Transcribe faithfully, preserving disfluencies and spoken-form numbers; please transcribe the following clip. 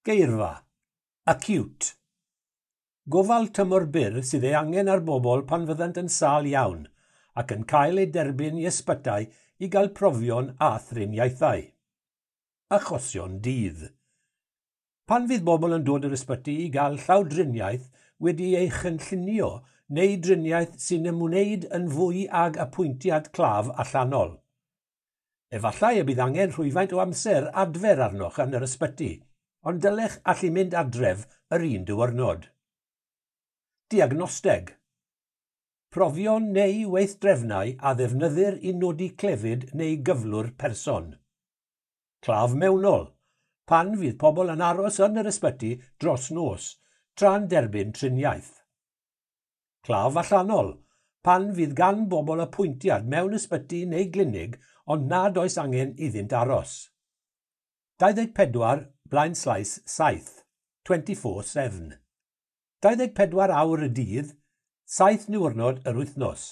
Geirfa. Acute. Gofal tymor byr sydd ei angen ar bobl pan fyddant yn sâl iawn ac yn cael eu derbyn i ysbytai i gael profion a thriniaethau. Achosion dydd. Pan fydd bobl yn dod i'r ysbyty i gael llawdriniaeth wedi ei chynllunio neu driniaeth sy'n ymwneud yn fwy ag apwyntiad claf allanol. Efallai y bydd angen rhywfaint o amser adfer arnoch yn yr ysbyty, ond dylech allu mynd adref yr un diwrnod. Diagnosteg. Profion neu weithdrefnau a ddefnyddir i nodi clefyd neu gyflwr person. Claf mewnol. Pan fydd pobl yn aros yn yr ysbyty dros nos, tra'n derbyn triniaeth. Claf allanol. Pan fydd gan bobl apwyntiad mewn ysbyty neu glinig ond nad oes angen iddynt aros. dau ddeg pedwar blaenslaes saith, twenty-four seven. dau ddeg pedwar awr y dydd, saith niwrnod yr wythnos.